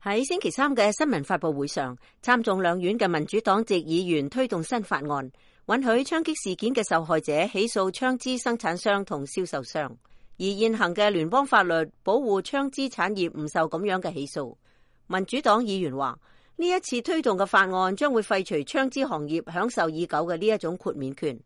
喺星期三嘅新聞發佈會上，參眾兩院嘅民主黨籍議員推動新法案，允許槍擊事件嘅受害者起訴槍支生產商同銷售商。而現行嘅聯邦法律保護槍支產業唔受咁樣嘅起訴。民主黨議員話，呢一次推動嘅法案將會廢除槍支行業享受已久嘅呢一種豁免權。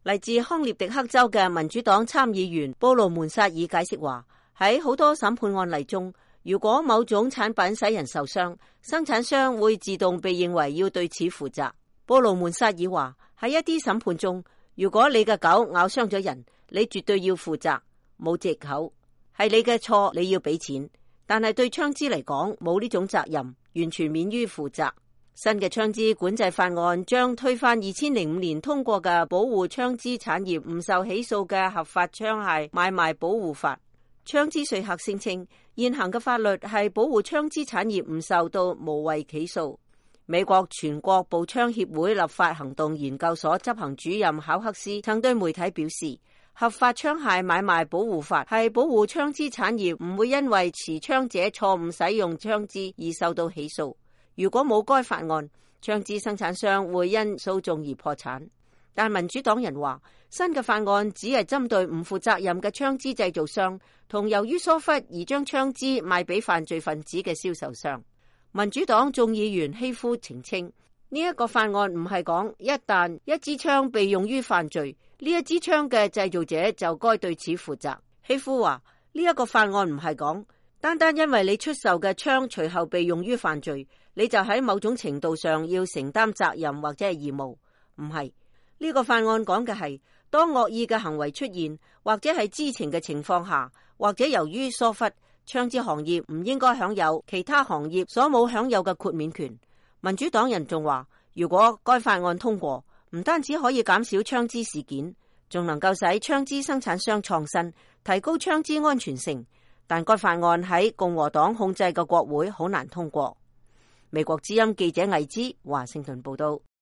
嚟自康涅狄克州嘅民主黨參議員布魯門薩爾解釋話，喺好多審判案例中，如果某種產品使人受傷，生產商會自動被認為要對此負責。布魯門薩爾話，喺一啲審判中，如果你嘅狗咬傷咗人，你絕對要負責，冇藉口，係你嘅錯，你要俾錢。但係對槍支嚟講，冇呢種責任，完全免於負責。新嘅槍支管制法案將推翻2005年通過嘅保護槍支產業唔受起訴嘅合法槍械買賣保護法。槍支說客聲稱，現行嘅法律係保護槍支產業唔受到無謂起訴。美國全國步槍協會立法行動研究所執行主任考克斯曾對媒體表示，合法槍械買賣保護法係保護槍支產業唔會因為持槍者錯誤使用槍支而受到起訴。如果冇該法案，槍支生產商會因訴訟而破產。但民主黨人話，新嘅法案只係針對唔負責任嘅槍支製造商同由於疏忽而將槍支賣俾犯罪分子嘅銷售商。民主黨眾議員希夫澄清，呢一個法案唔係講一旦一支槍被用於犯罪，呢一支槍嘅製造者就該對此負責。希夫話，呢一個法案唔係講單單因為你出售嘅槍隨後被用於犯罪，你就喺某種程度上要承擔責任或者係義務。唔係，呢個法案講嘅係當惡意嘅行為出現，或者係知情嘅情況下，或者由於疏忽，槍支行業唔應該享有其他行業所冇享有嘅豁免權。民主黨人仲話，如果該法案通過，唔單止可以減少槍支事件，仲能夠使槍支生產商創新，提高槍支安全性。但該法案喺共和黨控制嘅國會好難通過。美國之音記者魏之華盛頓報道。